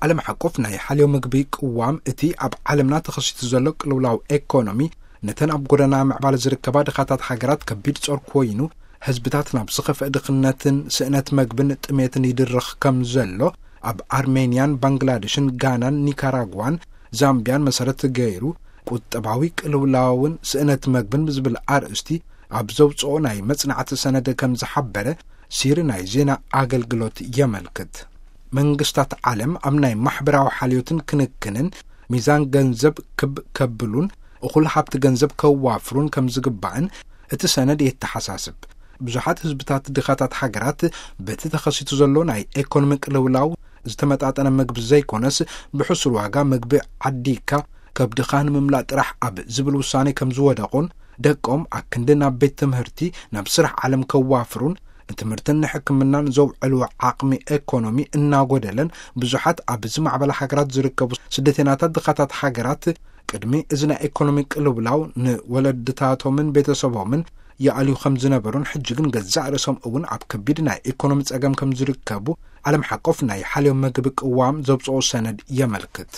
ዓለም ሓቆፍ ናይ ሓልዮ ምግቢ ቅዋም፣ እቲ ኣብ ዓለምና ተኸሲቱ ዘሎ ቅልውላው ኤኮኖሚ፣ ነተን ኣብ ጎደና ምዕባለ ዝርከባ ድኻታት ሃገራት ከቢድ ጾር ኮይኑ፣ ህዝብታት ናብ ዝኸፍአ ድኽነትን ስእነት መግብን ጥሜትን ይድርኽ ከም ዘሎ፣ ኣብ ኣርሜንያን ባንግላዴሽን ጋናን ኒካራጓን ዛምቢያን መሰረት ገይሩ፣ ቁጠባዊ ቅልውላውን ስእነት መግብን ብዝብል ኣርእስቲ ኣብ ዘውፅኦ ናይ መጽናዕቲ ሰነድ ከም ዝሓበረ ሲሪ ናይ ዜና ኣገልግሎት የመልክት። መንግስታት ዓለም ኣብ ናይ ማሕበራዊ ሓልዮትን ክንክንን ሚዛን ገንዘብ ክብ ከብሉን እኹል ሃብቲ ገንዘብ ከዋፍሩን ከም ዝግባእን እቲ ሰነድ የተሓሳስብ። ብዙሓት ህዝብታት ድኻታት ሃገራት በቲ ተኸሲቱ ዘሎ ናይ ኤኮኖሚ ቅልውላው ዝተመጣጠነ ምግቢ ዘይኮነስ፣ ብሕሱር ዋጋ ምግቢ ዓዲካ ከብድኻ ንምምላእ ጥራሕ ኣብ ዝብል ውሳኔ ከም ዝወደቑን፣ ደቆም ኣክንዲ ናብ ቤት ትምህርቲ፣ ናብ ስራሕ ዓለም ከዋፍሩን ንትምህርትን ንሕክምናን ዘውዕልዎ ዓቕሚ ኤኮኖሚ እናጎደለን፣ ብዙሓት ኣብ ዝማዕበላ ሃገራት ዝርከቡ ስደተኛታት ድኻታት ሃገራት ቅድሚ እዚ ናይ ኤኮኖሚ ቅልውላው ንወለድታቶምን ቤተሰቦምን ይኣልዩ ከም ዝነበሩን፣ ሕጂ ግን ገዛእ ርእሶም እውን ኣብ ከቢድ ናይ ኤኮኖሚ ጸገም ከም ዝርከቡ ዓለም ሓቆፍ ናይ ሓልዮ ምግቢ ቅዋም ዘውፅኦ ሰነድ የመልክት።